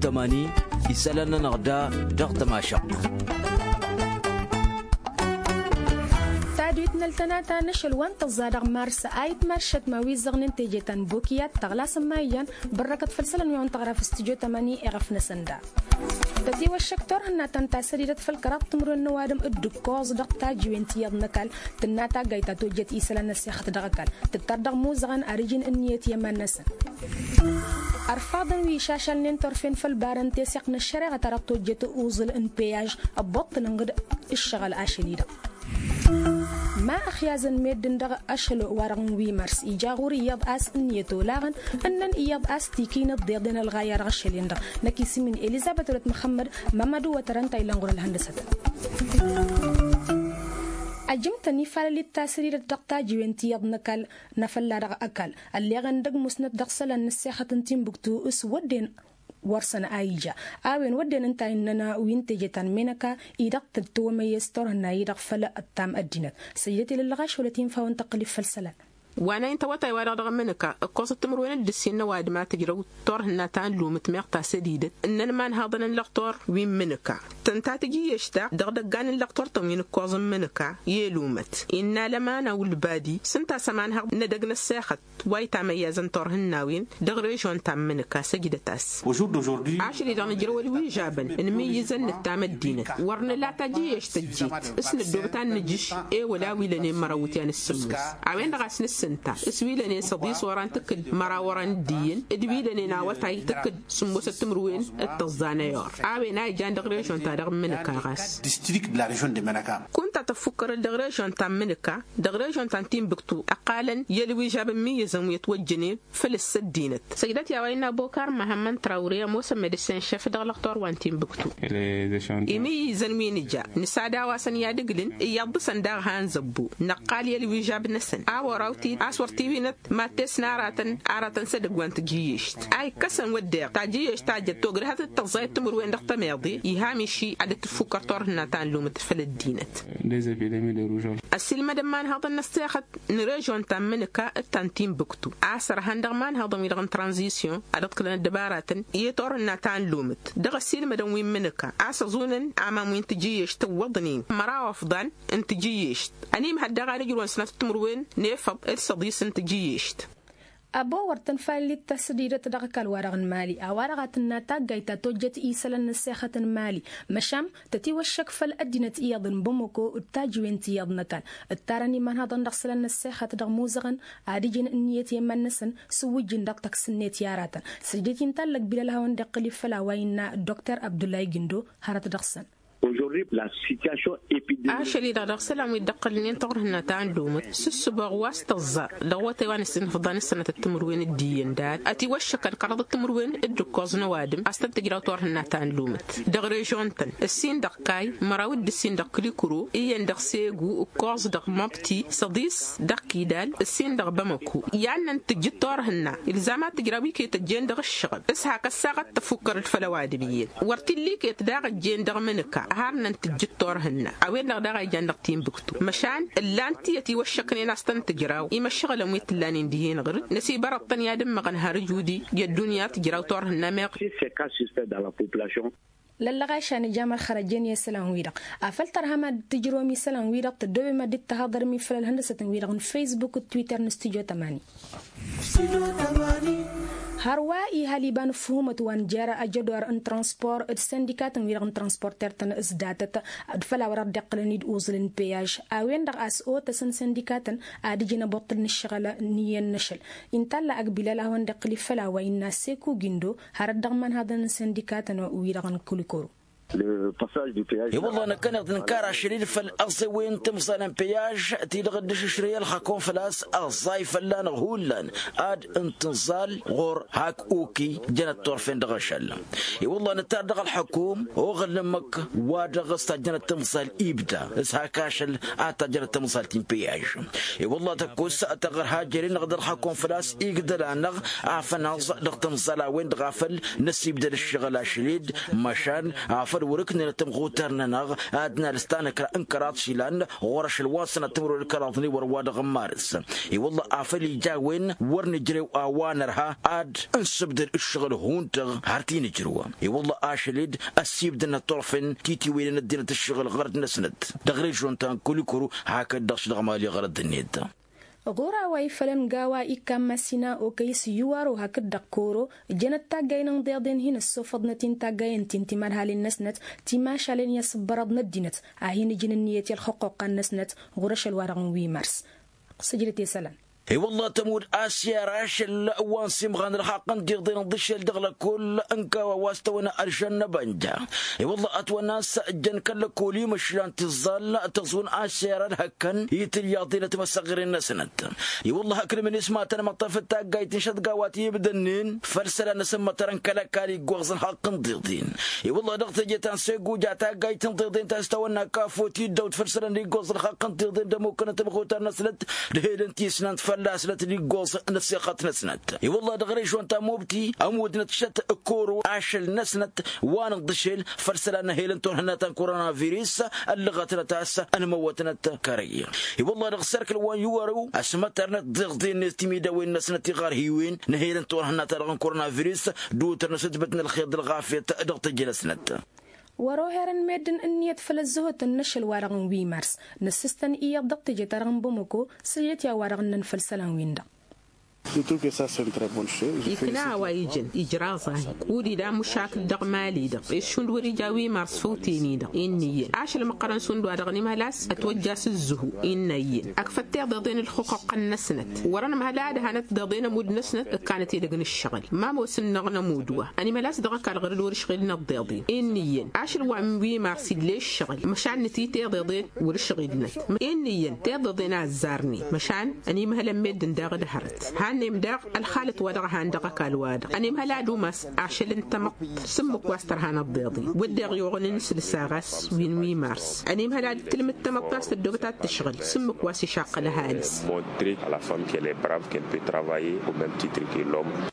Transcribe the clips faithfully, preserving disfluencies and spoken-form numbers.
Tămani isălan-nănăɣ da dăɣ-tămašăɣt. Tadwit n-ăltănata n-ašăl wa n-tăẓẓa dăɣ-mars a itmăršăt ma wi ǝzzăɣnen teje ta n-bokiyat tăɣlasăn ma ijan. Bărrăkăt făll-isălan wi a wăn-tăɣra f-studyo tămani iɣăf-năsăn da. Tătiwăššăk turhǝnna ta n-tasădidăt făll-kăraḍ timǝrwen n-ăwadǝm dd-ǝkkoẓ dăɣ-tajiwen ti iyyăḍ n-ăkall. Tǝnna taggayt ta tojjăt isălan n-ăssixăt dăɣ-ăkall tǝttar dăɣ-imuzăɣăn ad-ǝjǝn ǝnniyăt i-iman-năsăn. Ărfaḍăn wi išašalnen turfen făll-ibarăn teseɣt n-ăššăreɣăt a dăɣ-tojjăt uẓǝl n-peyaj ăbboṭṭǝlăn ɣǝd ǝššăɣǝl ašăl-i-dăɣ. Ma ăxyazăn meddǝn dăɣ-ašăl-wa-dăɣ n-wi mărs ija ɣur-iyyăḍ a-s ǝnniyăt olaɣăn ǝnnăn iyyăḍ a-s tikinăt deḍen ălɣayya dăɣ-ašăl-en-dăɣ. Năkk isǝm-in elizăbet wălăt măxămmăd. Mămmăd uwătărăn ta illan ɣur-ălhăndăsăt. Ajǝm-tăn ifalăl d-tasridăt dăɣ-tajiwen ti iyyăḍ n-ăkall n-afălla dăɣ-ăkall ălleɣăn dăgg-musnăt dăɣ-isălan n-ăssexăt n-tinbǝktu s-wădden wăr-săn a ija a-wen wădden ǝnta a innăn wi n-teje ta n-menăka-i-dăɣ tăt-tăwămăyyăs turhǝnna-i-dăɣ făll-ăttam ăddinăt. Săjdăt ilăllăɣ ašăl wălăt infa wa n-tăqqǝlǝf făll-isălan. Wa n-a intăwătay-wa-dăɣ dăɣ-menăka ǝkkoẓăt timǝrwen d-ǝssin n-ăwadǝm a tǝjrăw turhǝnna ta n-lumǝt meɣ tasădidăt ǝnnăn imanhaḍăn n-lăqtor wi n-menăka tǝnta tǝjǝyyešt-ta dăɣ-idăggan n-lăqtor-tăn wi n-ǝkkoẓ n-menăka i-lumăt innă lămana wǝlbadi s-ǝnta a-s ămanhăḍ n-edăgg n-ăssexăt wa itamăyyazăn turhǝnnawen dăɣ-režon ta n-menăka săjdăt-as. Ašăl-i-dăɣ nǝjrăw ălwižabăn n-imǝyyǝzăn nǝttam ăddinăt wăr nǝla tajǝyyešt tăjjet s-năddoobăt ad-nǝjǝš ewăl a-wi lănen măraw iwǝtyan s-sǝmmos a-wen-dăɣ a-s nǝssǝnta s-wi lănen săḍis oran tǝkkǝd măraw oran d-iyyăn d-wi lănen awătay tǝkkǝd sǝmmosăt timǝrwen d-tăẓẓa n-ayor a-wen a ijan dăɣ-režon-ta-dăɣ n-menăka ɣas. District de la režon de menăka. Kunta tăffukkărăt dăɣ-režon ta n-menăka dăɣ-režon ta n-tinbǝktu ăqqalăn i-ălwižab n-imǝyyǝzăn wi ătwăjjănen făl-s ăddinăt săjdăt i-a-wa innă bokar măhămmăn trawre ămoosăn medăsen šef dăɣ-lăqtor wa n-tinbǝktu. Imǝyyǝzăn wi nǝja nǝsad a-wa săn i-ad-ǝglǝn iyyăḍ dăɣ-săn daɣ han zăbbo năqqal i-ălwižab-năsăn a wăr-awtid a-s wăr tiwinăt mad-tesna aratăn aratăn s-edăgg wa n-tijǝyyešt a ikkăsăn wădden tajǝyyešt ta jăt togrǝhăt d-tăẓẓayăt timǝrwen dăɣ-tămeḍe iha miši ad-dd-tǝffukkăr turhǝnna ta n-lumǝt făll-ăddinăt. Ăssiilmădăn imanhaḍăn n-ăssexăt n-režon ta n-mǝnǝka d-ta n-tinbǝktu a-s ărhan dăɣ-imanhaḍăn-wi-dăɣ n-tranzisyon ad-ǝḍkǝlăn ăddăbaratăn i-turhǝnna ta n-lumǝt dăɣ-ăssiilmădăn wi n-mǝnǝka a-s ăẓunăn aman wi n-tijǝyyešt ǝwwăḍnen măraw ăfḍan n-tijǝyyešt. Ănimhăd daɣ ad-ǝjrǝwăn sănatăt timǝrwen n-efăḍ d-săḍis n-tijǝyyešt. Abo wăr tăn-fallit tasdidăt dăɣ-ăkall-wa-dăɣ n-mali a-wa-dăɣ a tǝnna taggayt ta tojjăt isălan n-ăssexăt n-mali măšan tătiwăššăk făll-ăddinăt iyyăḍ n-bamăko d-tajǝwen ti iyyăḍ n-ăkall ǝttarăn imanhaḍăn dăɣ-isălan n-ăssexăt dăɣ-imuzăɣăn ad-ǝjǝn ǝnniyăt i-iman-năsăn s-ǝwwǝjjǝn dăɣ-tăks-net i-aratăn. Săjdăt-i n-tallăg bilăl a hawăn-dd-iqqǝl ifăl a-wa innă dr abdullah gindo hărăt dăɣ-săn. Ašăl-i-dăɣ dăɣ-isălan wi dd-ǝqqǝlnen turhǝnna ta n-lumǝt s-ǝssǝboɣ wa s-tăẓẓa dăɣ-iwătay wa n-ǝssin ăfḍan s-sănatăt timǝrwen d-iyyăn dad ătiwăššăkăn kăraḍăt timǝrwen d-ǝkkoẓ n-ăwadǝm a-s tăn-tǝjraw turhǝnna ta n-lumǝt dăɣ-režon-tăn ǝssin dăɣ-kayy măraw d-ǝssin dăɣ-kǝlikǝro iyyăn dăɣ-segu ǝkkoẓ dăɣ-măbti săḍis dăɣ-kidal ǝssin dăɣ-bamăko. I-ad-năn-tǝjjǝd turhǝnna ilzam ad-tǝjraw iket ăjjeen dăɣ-ǝššăɣǝl s-hak ăssaɣăt tăfukkărăd făll-ăwadǝm iyyăn wăr t-illa iket daɣ ăjjeen dăɣ-imǝnǝka har năn-tǝjjǝd turhǝnna. A-wen-dăɣ daɣ a ijan dăɣ-tinbǝktu măšan ǝllan-t iyyăt iwăššăknen a-s tăn-tǝjraw imăššăɣǝlăn wi t-ǝllanen dihen ɣǝr-dd năsibărăḍ-tăn i-ad-ǝmmăɣăn har ǝjudi i-ăddunya tǝjraw turhǝnna meɣ. Lăllăɣ ašan ija mărxăr ăjjeen i-isălan-wi-dăɣ afăl tărhăm ad-tǝjrǝwăm isălan-wi-dăɣ tăddoobem ad-dd-tăhaḍărăm i-făll-ălhăndăsăt-wi-dăɣ n-facebook d-twitter n-studyo tămani. Hărwa ihal iba n-ǝfhumăt wa n-jer ajădor n-transpor d-sindikatăn-wi-dăɣ n-transporter-tăn s-datăt d-făll-a-wa dăɣ-dd-iqqǝlăn-dd uẓǝl n-peyaj a-wen-dăɣ a-s otăsăn sindikatăn ad-ǝjǝn ăboṭṭǝl n-ǝššăɣǝl n-iyyăn n-ašăl. Intalla ăgg bilal a hawăn-dd-iqqǝl-i făll-a-wa innă seku gindo hărăt dăɣ-imanhaḍăn n-sindikatăn-wi-dăɣ n-kulikoro. I-wălla năkkăneḍ nǝnkar ašăl-dd făll-aẓẓewăy n-timẓal n-peyaj ti-dăɣ dd-išǝšrǝy ălxakun făl-a-s ăẓẓay fălla-năɣ hullan ad-ǝntǝnẓal ɣur-hak uki jănăt turfen dăɣ-ašăl. I-wălla nǝttar dăɣ-ălxăkum oɣăl n-ǝmmǝk wa dăɣ-s tajjănăt timẓal ibda s-hak ašăl ad-tajjănăt timẓal ti n-peyaj. I-wălla tăkkus tăɣrǝha jere-năɣ d-ălxăkum făl-a-s igdăl-anăɣ afănaẓ dăɣ-timẓal a-wen-dăɣ a făl năsibdăd ǝššăɣǝl ašăl-dd măšan afăl Wăr-ǝknǝnăt tămɣutar-nănăɣ ad-nalǝs tanăkra n-kăraḍ išilan ɣur-ašăl wa n-sănat timǝrwen d-kăraḍ n-iwăr wa-dăɣ n-marǝs. I-wălla-ɣ a făl ija a-wen wăr nǝjrew a-wa nărha ad-ǝnsǝbdăd ǝššăɣǝl hun-dăɣ har ti-nǝjrǝw. I-wălla-ɣ ašăl-dd ăssiibdăn ăṭṭurfen titiwǝynen ăddinăt ǝššăɣǝl ɣărăt-năsnăt dăɣ-režion ta n-kulikuru hakd-dăɣ š-dăɣ mali ɣărăt-net. Ɣur-a-wa ifălăn g-a-wa ikkan masina okăy s-iwaro hakd-dăɣ koro jănăt taggay n-inḍeḍen hin-ăssofăḍnăt-in taggayen ti n-timărhalen-năsnăt timašalen i-asǝbbărăḍ n-ăddinăt a hin-ǝjǝn ǝnniyăt i-ălxăqqoqqa-năsnăt ɣur-ašăl-wa-dăɣ n-wi mars. Sǝjdăt i-isălan. I-wălla tămud asiyar ašăl wa n-simɣan ălxaqq n-tiḍen n-iḍǝššel dăɣ-lăkull n-kawa wa s-tăwănna ălžănnăbănja. I-wălla ătwănna a-s ǝjjăn kăl-lăkull imăšlan tiẓẓal tăẓwǝn asiyar ălhăkkăn i-tǝlyaḍen timăsăɣren-năsnăt. I-wălla hakd mǝnis ma tăn-măṭṭăf d-taggayt n-šăḍga wa t-ibdănnen făll-isălan n-asǝmmătărăn kăl-ăkall iggoẓ ălxaqq n-tiḍen. I-wălla dăɣ-teje ta n-seguja taggayt n-tiḍen ta s-tăwănna kafo tiddăwt făll-isălan iggoẓ ălxaqq n-tiḍen d-ămukănăt ămxutar-năsnăt d-helăn tisnant fălla-snăt d-iggoẓ n-ăssixăt-năsnăt. I-wălla dăɣ-režion ta n-mubti ămudnăt šăt koro ašăl-năsnăt wa n-ǝḍḍǝšel făll-isălan n-helăn turhǝnna ta n-koronavirus ăllăɣătnăt a-s ănmăwătnăt kărăy. I-wălla dăɣ-serkǝl wa n-iwărăw ăsmătărnăt d-iḍḍen-net timidawen-năsnăt tiɣărhiwen n-helăn turhǝnna-ta-dăɣ n-koronavirus d-utărnăt s-ǝtbǝt n-ălxer d-ălɣafyăt dăɣ-teje-năsnăt. Wăr-oherăn meddǝn ǝnniyăt făll-ăzzăhotăn n-ašăl-wa-dăɣ n-wi mars. Năssǝstăn iyyăḍ dăɣ-teje-ta-dăɣ n-bamăko s-ǝjăt i-a-wa-dăɣ ǝnnăn făll-isălan-win-dăɣ. Ikna a-wa ijăn ijraẓ-ahi. Kud-ila mušakǝl dăɣ-mali-dăɣ ed šund wăr-ija wi mars făw teni-dăɣ innă iyyăn ašăl măqqărăn šund wa-dăɣ ănimhăl a-s ătwăjja s-ǝzzǝhu innă iyyăn ăkfăt tiḍeḍen ǝlxǝqquqqăn-năsnăt wăr-ănmhăl ad-hanăt tiḍeḍen ămudd-năsnăt ǝkkanăt edăgg n-ǝššăɣǝl. Ma ămoosăn-năɣ n-ămudd wa ănimhăl a-s dăɣ-ăkall ɣur-dd wăr-ǝšɣilăn ăḍḍeḍen innă iyyăn ašăl wa n-wi mars ill'-e ǝššăɣǝl măšan nǝti tiḍeḍen wăr-ǝšɣilnăt. Innă iyyăn tiḍeḍen a ăzzarnen măšan ănimhălăn meddǝn daɣ d-hărăt. Hannem daɣ ălxalăt-wa-dăɣ a han dăɣ-ăkall-wa-dăɣ ănimhăl ad-umas ašăl n-tamăḍt s-ǝmmǝk wa s-tărha n-ăḍḍeḍen wădden iɣuɣǝn n-sǝlsa ɣas wi n-wi mars ănimhăl ad-tǝlmǝd tamăḍt a-s tăddoobăt ad-tǝšɣǝl s-ǝmmǝk wa s-išaqqăl ăhalǝs. Montrer à la femme qu'elle est brave, qu'elle peut travailler au même titre que l'homme.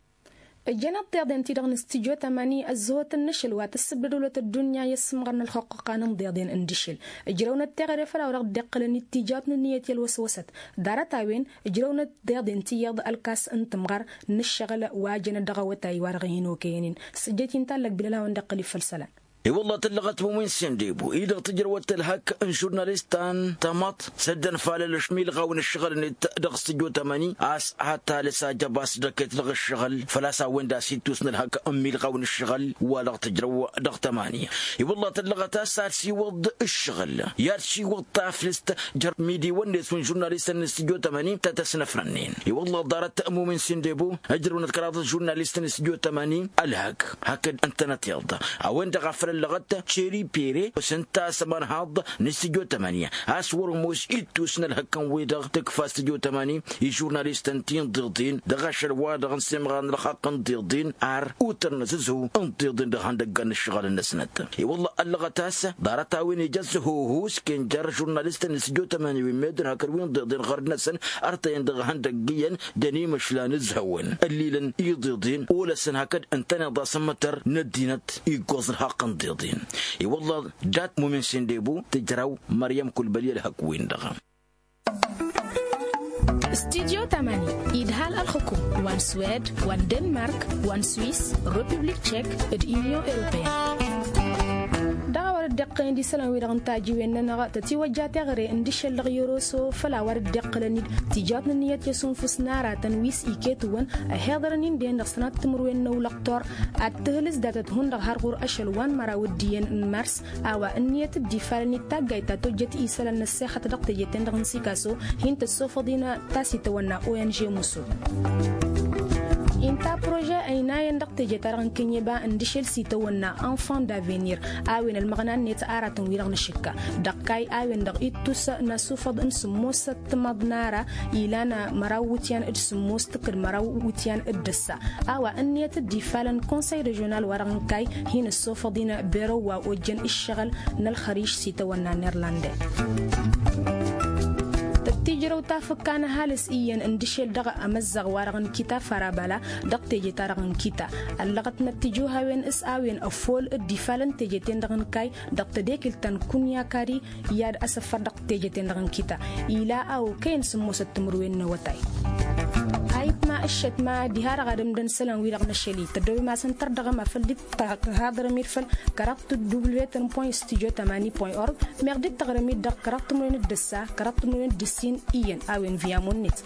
Ǝjjăn ăḍḍeḍen-ti-dăɣ n-studyo tamani ăzzăhotăn n-ašăl wa tǝssǝbdăd wălăt ăddunya i-ăssǝmɣăr n-ălxăqqăqqa n-inḍeḍen n-dăšel. Ǝjrăwnăt teɣăre făll-a-wa dăɣ-dd-iqqǝlăn ittijaw n-ǝnniyăt i-ălwăswăsăt ḍarăt-a-wen ǝjrăwnăt tiḍeḍen ti iyyăḍ ălkas n-tǝmɣăr n-ǝššăɣǝl wa jănăt dăɣ-awătay wa-dăɣ hin-okăyăn-in. S-ǝjjăt-in ta n-lăkbil ălawăn dd-iqqǝl i-făll-isălan. I-wălla tǝllăɣăt mumin sendebo-i-dăɣ tǝjrăwăt tălhăk n-žurnalistan tamăḍt s-ăddănfalălăš milɣaw n-ǝššăɣǝl-net dăɣ-studyo tamani a-s ad-talǝs ajăba s-dăket dăɣ-ǝššăɣǝl făl-a-s a-wen-dd-ass ittus n-ălhăk n-milɣaw n-ǝššăɣǝl wa dăɣ-tǝjrăw dăɣ-tamani. I-wălla tǝllăɣăt a-s ad-siwǝḍ ǝššăɣǝl i-ad-siwǝḍ taflǝst jer-midiwăn-net wi n-žurnalistăn n-studyo tamani ta tăsnăfrănnen. I-wălla ḍarăt mumin sendebo ǝjrăwnăt kăraḍăt žurnalistăn n-studyo tamani ălhăk hakd ǝntănăt iḍ a-wen-dăɣ a făl ăllăɣăt ceri pere s-ǝnta a-s ămărhaḍ n-studyo tamani a-s wăr-ămoos ittus n-ălhăk n-wi-dăɣ tǝkfa studyo tamani i-žurnalistăn ti n-tiḍen dăɣ-ašăl-wa-dăɣ n-semɣar n-ălxaqq n-tiḍen ar utărnăt s-ǝzhu n-tiḍen dăɣ-ihăndăggan n-ǝššăɣǝl-năsnăt. I-wălla ăllăɣăt a-s ḍarăt-a-wen ija s-hoho s-ken jer-žurnalistăn n-studyo tamani wi n-meddǝn hakd wi n-tiḍen ɣărd-năsăn ărtăyăn dăɣ-ihăndăgg iyyăn d-ănimăšlan ǝzhăwăn ăllilăn iḍeḍen olăsăn hakd ǝntăneḍ asǝmmătăr n-ăddinăt iggoẓ ălxaqq n-tiḍen. I-wălla dat-mumin sendebo tǝjraw măryăm kulbăli ălhăk-win-dăɣ. Studyo tamani idhal ălxukum wa n-swed wa n-denmark wa n-swiss, republik tchek d-union europeyăn. Dăɣ-a wăr dd-iqqălăn d-isălan-wi-dăɣ n-tajiwen-nănăɣ tătiwăjja teɣăre n-dišel dăɣ-yoroso făl a wăr dd-iqqălăn-dd tijawt n-ǝnniyăt i-asunfǝs n-aratăn wi s-iket-wăn ăhiḍărăn-in-dăɣ sănat timǝrwen n-ăwlăqtor ad-tǝhǝlǝs datăt hundăɣ har ɣur-ašăl wa n-măraw d-iyyăn n-mars. A-wa ǝnniyăt dd-ifalăn i-taggayt ta tojjăt isălan n-ăssexăt dăɣ-teje-ten-dăɣ n-sikaso hin-tăssofăḍ-in ta s-itawănna ong musul. Inta prože ăynayăn dăɣ-teje-ta-dăɣ n-kănyeba n-dăšel s-itawănna enfant d'avenir a-wen ălmăɣna-net aratăn-wi-dăɣ n-ašǝkka dăɣ-kayy a-wen-dăɣ ittus n-asufăḍ n-sǝmmos tămăḍnara ilan măraw wǝtyan d-sǝmmos tǝkkǝd măraw wǝtyan d-ǝssa. A-wa ǝnniyăt dd-ifalăn konsăy režional wa-dăɣ n-kayy hin-ăssofăḍ-in berow wa ojjăn ǝššăɣǝl n-ălxăriš s-itawănna n-irlande. Tirăw ta fǝkkan ăhalǝs iyyăn n-dăšel dăɣ-emăzzăɣ-wa-dăɣ n-kita farabala dăɣ-teje-ta-dăɣ n-kita. Ăllăɣătnăt tijuhawen s-a-wen ăffol dd-ifalăn teje-ten-dăɣ n-kayy dăɣ-tedekǝlt ta n-kunyakari i-ad-asăffăr dăɣ-teje-ten-dăɣ n-kita. Ila a okăyăn sǝmmosăt timǝrwen n-awătay. A itma ǝššăt ma diha-dăɣ ad-ǝmdăn isălan-wi-dăɣ n-ašăl-i tăddoobem asăn tărdăɣăm afăl dd-tăhaḍărăm-id făll-kăraḍt w-tăn point studio tamani point org. Meɣ dd-tăɣrǝm-dd dăɣ-kăraḍt timǝrwen d-ǝssa kăraḍt timǝrwen d-ǝssin iyyăn a-wen via munnet.